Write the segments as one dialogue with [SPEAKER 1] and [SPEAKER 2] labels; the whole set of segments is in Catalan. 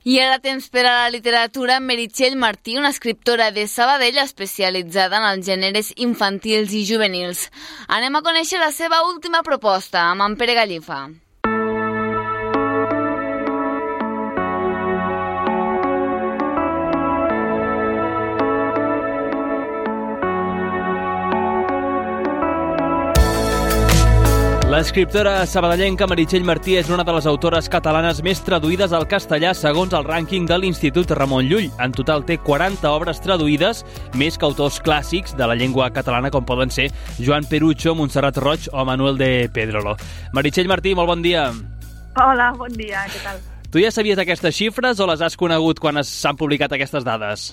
[SPEAKER 1] I ara temps per a la literatura, Meritxell Martí, una escriptora de Sabadell especialitzada en els gèneres infantils i juvenils. Anem a conèixer la seva última proposta, amb en Pere Gallifa.
[SPEAKER 2] L'escriptora sabadellenca Meritxell Martí és una de les autores catalanes més traduïdes al castellà segons el rànquing de l'Institut Ramon Llull. En total té 40 obres traduïdes, més que autors clàssics de la llengua catalana com poden ser Joan Perucho, Montserrat Roig o Manuel de Pedrolo. Meritxell Martí, molt bon dia.
[SPEAKER 3] Hola, bon dia, què tal?
[SPEAKER 2] Tu ja sabies aquestes xifres o les has conegut quan s'han publicat aquestes dades?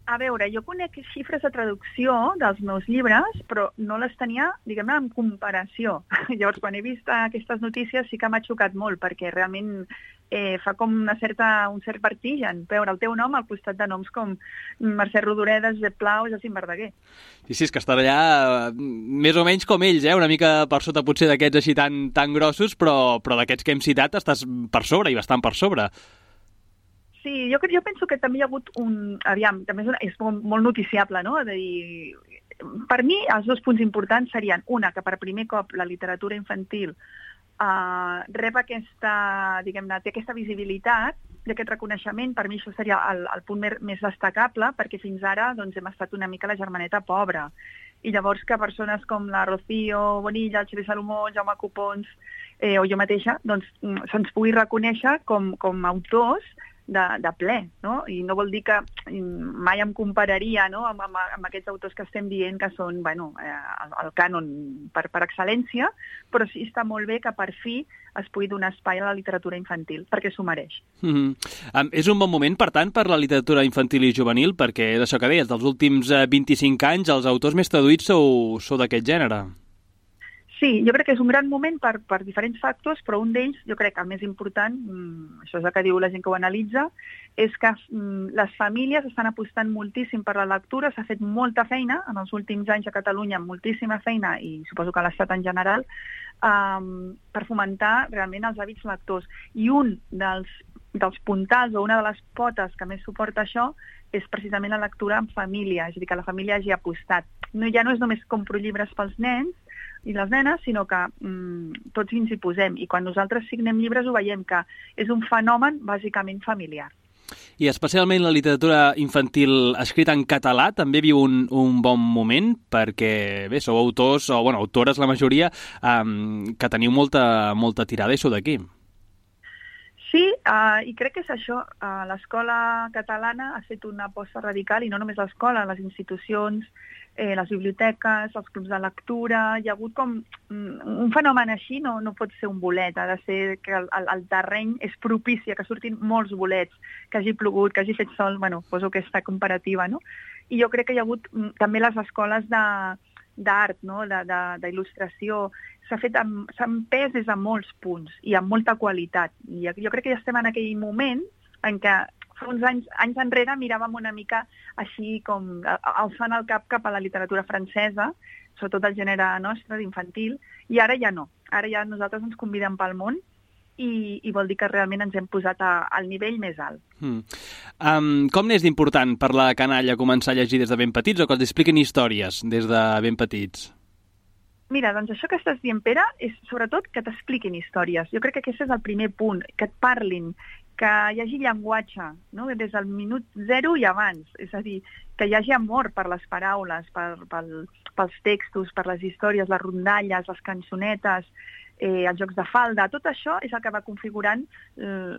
[SPEAKER 3] A veure, jo conec xifres de traducció dels meus llibres, però no les tenia, diguem-ne, en comparació. Llavors, quan he vist aquestes notícies sí que m'ha xocat molt, perquè realment fa com un cert vertigen veure el teu nom al costat de noms com Mercè Rodoreda, Josep Pla o Jacint Verdaguer.
[SPEAKER 2] Sí, és que estan allà més o menys com ells, una mica per sota potser d'aquests així tan grossos, però d'aquests que hem citat estàs per sobre i bastant per sobre.
[SPEAKER 3] Sí, jo penso que també hi ha hagut un... Aviam, també és molt noticiable, no? De dir, per mi, els dos punts importants serien, una, que per primer cop la literatura infantil rep aquesta, diguem-ne, té aquesta visibilitat i aquest reconeixement. Per mi això seria el punt més destacable, perquè fins ara doncs, hem estat una mica la germaneta pobra. I llavors que persones com la Rocío Bonilla, el Xavier Salomó, Jaume Copons o jo mateixa, doncs se'ns pugui reconèixer com autors de ple, no? I no vol dir que mai em compararia, no? amb aquests autors que estem dient que són el cànon per excel·lència, però sí està molt bé que per fi es pugui donar espai a la literatura infantil, perquè s'ho mereix.
[SPEAKER 2] És un bon moment, per tant, per la literatura infantil i juvenil, perquè és això que deies, dels últims 25 anys els autors més traduïts sou d'aquest gènere.
[SPEAKER 3] Sí, jo crec que és un gran moment per diferents factors, però un d'ells, jo crec que el més important, això és el que diu la gent que ho analitza, és que les famílies estan apostant moltíssim per la lectura, s'ha fet molta feina en els últims anys a Catalunya, moltíssima feina, i suposo que a l'Estat en general, per fomentar realment els hàbits lectors. I un dels puntals o una de les potes que més suporta això és precisament la lectura en família, és a dir, que la família hagi apostat. Ja no és només compro llibres pels nens i les nenes, sinó que tots ens hi posem. I quan nosaltres signem llibres ho veiem que és un fenomen bàsicament familiar.
[SPEAKER 2] I especialment la literatura infantil escrita en català també viu un bon moment, perquè bé, sou autors, o autores la majoria, que teniu molta tirada i sou d'aquí.
[SPEAKER 3] Sí, i crec que és això. L'escola catalana ha fet una aposta radical, i no només l'escola, les institucions, les biblioteques, els clubs de lectura. Hi ha hagut com un fenomen així, no pot ser un bolet, ha de ser que el terreny és propici, que surtin molts bolets, que hagi plogut, que hagi fet sol, poso aquesta comparativa, no? I jo crec que hi ha hagut també les escoles d'art, no? d'il·lustració, s'ha empès des de molts punts i amb molta qualitat. I jo crec que ja estem en aquell moment en què fa uns anys enrere miràvem una mica així com alçant el cap a la literatura francesa, sobretot el gènere nostre, d'infantil, i ara ja no. Ara ja nosaltres ens convidem pel món i vol dir que realment ens hem posat al nivell més alt.
[SPEAKER 2] Com n'és d'important per la canalla començar a llegir des de ben petits o que els expliquin històries des de ben petits?
[SPEAKER 3] Mira, doncs això que estàs dient, Pere, és sobretot que t'expliquin històries. Jo crec que aquest és el primer punt, que et parlin, que hi hagi llenguatge, no? Des del minut 0 i abans. És a dir, que hi hagi amor per les paraules, pels textos, per les històries, les rondalles, les cançonetes, els jocs de falda. Tot això és el que va configurant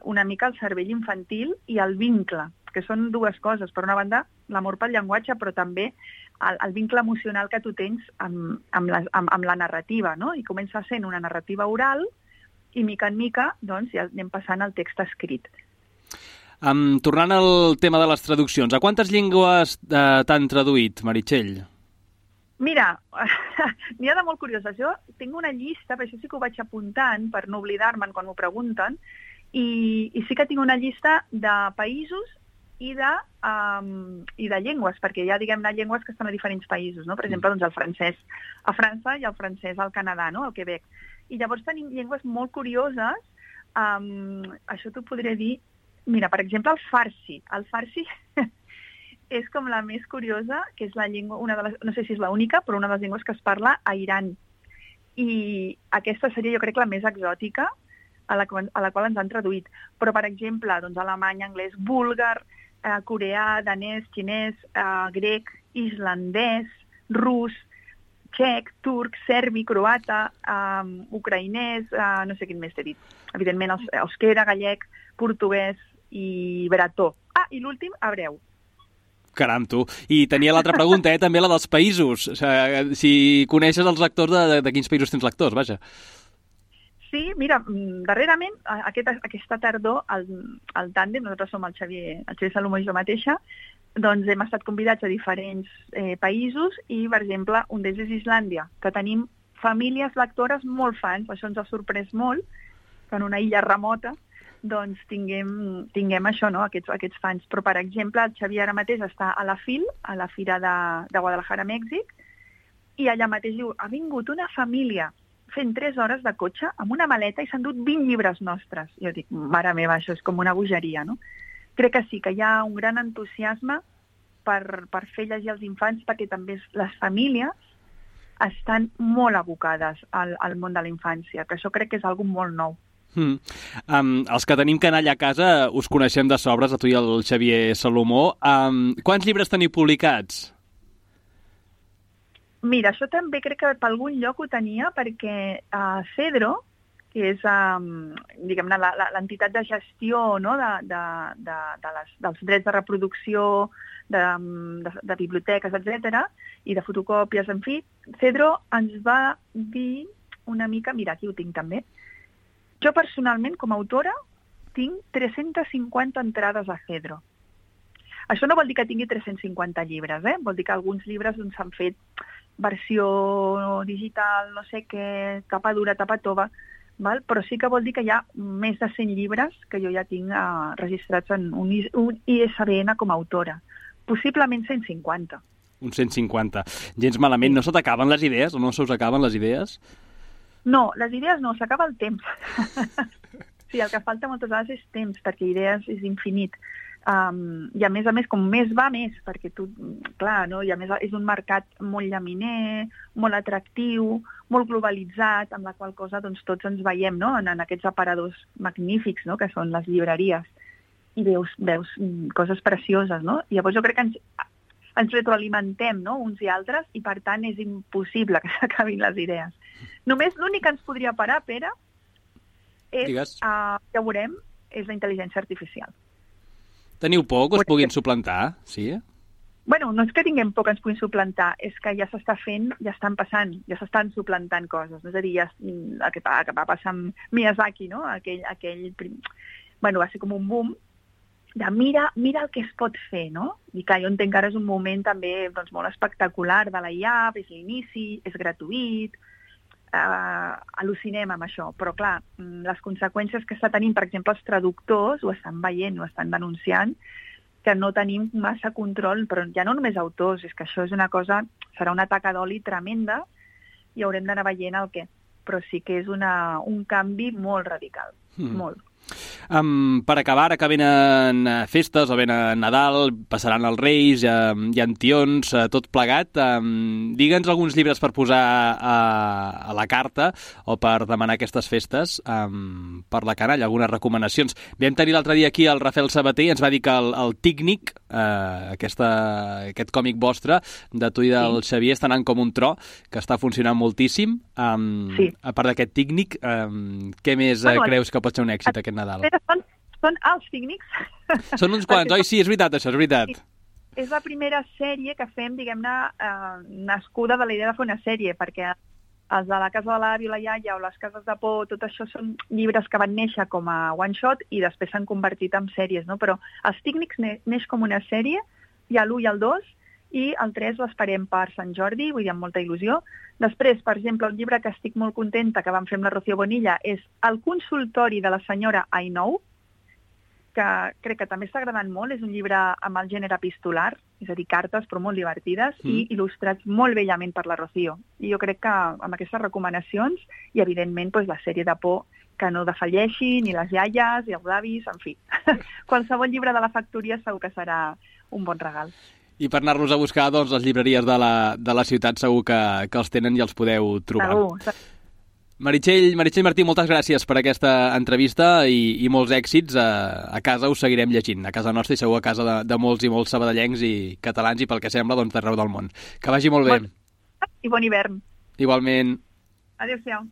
[SPEAKER 3] una mica el cervell infantil i el vincle, que són dues coses. Per una banda, l'amor pel llenguatge, però també el vincle emocional que tu tens amb la narrativa, no? I comença sent una narrativa oral i mica en mica doncs, ja anem passant al text escrit.
[SPEAKER 2] Tornant al tema de les traduccions, a quantes llengües t'han traduït, Meritxell?
[SPEAKER 3] Mira, n'hi ha de molt curioses. Jo tinc una llista, per això sí que ho vaig apuntant, per no oblidar-me'n quan m'ho pregunten, i sí que tinc una llista de països i de llengües, perquè hi ha, diguem-ne, llengües que estan a diferents països, no? Per exemple, doncs el francès a França i el francès al Canadà, no? Al Quebec. I llavors tenim llengües molt curioses, això t'ho podré dir, Mira, per exemple, el farsi. El farsi és com la més curiosa, que és la llengua, no sé si és l'única, però una de les llengües que es parla a Iran. I aquesta seria, jo crec, la més exòtica a la qual ens han traduït. Però, per exemple, doncs, alemany, anglès, búlgar, coreà, danès, xinès, grec, islandès, rus, txec, turc, serbi, croata, ucraïnès, no sé quin més t'he dit. Evidentment, euskera, gallec, portuguès i bretó. I l'últim, hebreu.
[SPEAKER 2] Caram, tu. I tenia l'altra pregunta, també la dels països. O sigui, si coneixes els lectors, de quins països tens lectors, vaja.
[SPEAKER 3] Sí, mira, darrerament, aquesta tardor, el tàndem, nosaltres som el Xavier Salomó i jo mateixa, doncs hem estat convidats a diferents països i, per exemple, un d'ells és Islàndia, que tenim famílies lectores molt fans, això ens ha sorprès molt, que en una illa remota doncs tinguem això, no? aquests fans. Però, per exemple, el Xavier ara mateix està a la FIL, a la Fira de Guadalajara, Mèxic, i allà mateix diu, ha vingut una família fent 3 hores de cotxe amb una maleta i s'han dut 20 llibres nostres. Jo dic, mare meva, això és com una bogeria, no? Crec que sí, que hi ha un gran entusiasme per fer llegir als infants, perquè també les famílies estan molt abocades al món de la infància, que això crec que és algo molt nou.
[SPEAKER 2] Els que tenim canalla a casa us coneixem de sobres, a tu i el Xavier Salomó. Quants llibres teniu publicats?
[SPEAKER 3] Mira, això també crec que per algun lloc ho tenia, perquè Cedro, que és diguem-ne l'entitat de gestió, no? dels drets de reproducció, de biblioteques, etc., i de fotocòpies, en fi, Cedro ens va dir una mica, mira, aquí ho tinc també, jo personalment, com a autora, tinc 350 entrades a Cedro. Això no vol dir que tingui 350 llibres, vol dir que alguns llibres s'han fet versió digital, no sé què, tapa dura, tapa tova, val? Però sí que vol dir que hi ha més de 100 llibres que jo ja tinc registrats en un ISBN com a autora. Possiblement 150.
[SPEAKER 2] Un 150. Gens malament. No se t'acaben les idees? O no se us acaben les idees?
[SPEAKER 3] No, les idees no, s'acaba el temps. Sí, el que falta moltes vegades és temps, perquè idees és infinit. I a més, com més va, més, perquè tu, clar, no? I a més és un mercat molt llaminer, molt atractiu, molt globalitzat, amb la qual cosa doncs, tots ens veiem, no? en aquests aparadors magnífics, no? Que són les llibreries, i veus coses precioses, no? I llavors jo crec que ens retroalimentem, no? Uns i altres, i per tant és impossible que s'acabin les idees. Només l'únic que ens podria parar, Pere, és, ja ho veurem, és la intel·ligència artificial.
[SPEAKER 2] Teniu por que us puguin suplantar? Sí?
[SPEAKER 3] Bueno, no és que tinguem por que ens puguin suplantar, és que ja s'està fent, ja estan passant, ja s'estan suplantant coses. És a dir, el que va passar amb Miyazaki, no? Bueno, va ser com un boom de mira el que es pot fer, no? I que jo entenc que ara és un moment també doncs, molt espectacular de la IA, és l'inici, és gratuït, al·lucinem amb això, però clar, les conseqüències que està tenint, per exemple, els traductors ho estan veient, ho estan denunciant, que no tenim massa control, però ja no només autors, és que això és una cosa, serà una taca d'oli tremenda i haurem d'anar veient el què, però sí que és un canvi molt radical, molt.
[SPEAKER 2] Per acabar, ara que venen festes o venen Nadal, passaran els Reis, hi ha tions, tot plegat. Digue'ns alguns llibres per posar a la carta o per demanar aquestes festes per la canalla, algunes recomanacions. Vam tenir l'altre dia aquí el Rafael Sabater i ens va dir que el Tícnic, aquest còmic vostre, de tu i del Xavier, està anant com un tro, que està funcionant moltíssim. A part d'aquest Tícnic, què més creus que pot ser un èxit aquest Nadal?
[SPEAKER 3] Són els Tícnics.
[SPEAKER 2] Són uns quants, oi? Sí, és veritat, això, és veritat.
[SPEAKER 3] Sí. És la primera sèrie que fem, diguem-ne, nascuda de la idea de fer una sèrie, perquè els de la Casa de l'Avi o la Iaia o les Cases de Por, tot això són llibres que van néixer com a one-shot i després s'han convertit en sèries, no? Però els Tícnics neix com una sèrie, hi ha l'1 i el 2, i el 3 l'esperem per Sant Jordi, vull dir, amb molta il·lusió. Després, per exemple, un llibre que estic molt contenta, que vam fer amb la Rocío Bonilla, és El consultori de la senyora I Know, que crec que també està agradant molt. És un llibre amb el gènere epistolar, és a dir, cartes, però molt divertides, i il·lustrats molt bellament per la Rocío. I jo crec que amb aquestes recomanacions, i evidentment la sèrie de por que no defalleixi, ni les iaies, i els avis, en fi. Qualsevol llibre de la factoria segur que serà un bon regal.
[SPEAKER 4] I per anar-los a buscar, doncs, les llibreries de la ciutat segur que els tenen i els podeu trobar.
[SPEAKER 3] Segur.
[SPEAKER 4] Meritxell Martí, moltes gràcies per aquesta entrevista i molts èxits. A casa us seguirem llegint, a casa nostra i segur a casa de molts i molts sabadellencs i catalans i pel que sembla d'arreu del món. Que vagi molt bé.
[SPEAKER 3] I bon hivern.
[SPEAKER 4] Igualment.
[SPEAKER 3] Adéu-siau.